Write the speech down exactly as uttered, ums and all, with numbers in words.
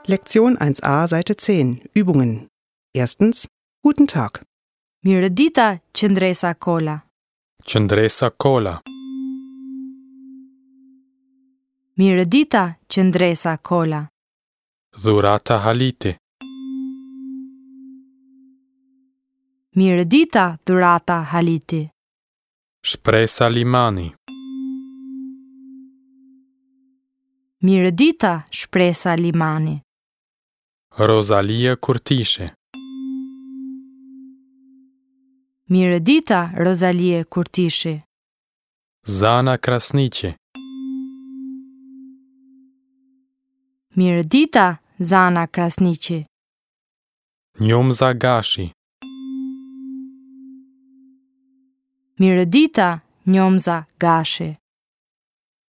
Lektion eins a, Seite zehn. Übungen. Erstens. Guten Tag. Mirëdita, Qëndresa Kola. Qëndresa Kola. Mirëdita, Qëndresa Kola. Dhurata Haliti. Mirëdita, Dhurata Haliti. Shpresa Limani. Mirëdita, Shpresa Limani. Rosalie Kurtishi. Mirëdita, Rosalie Kurtishi. Zana Krasniqi. Mirëdita, Zana Krasniqi. Njomza Gashi. Mirëdita, Njomza Gashi.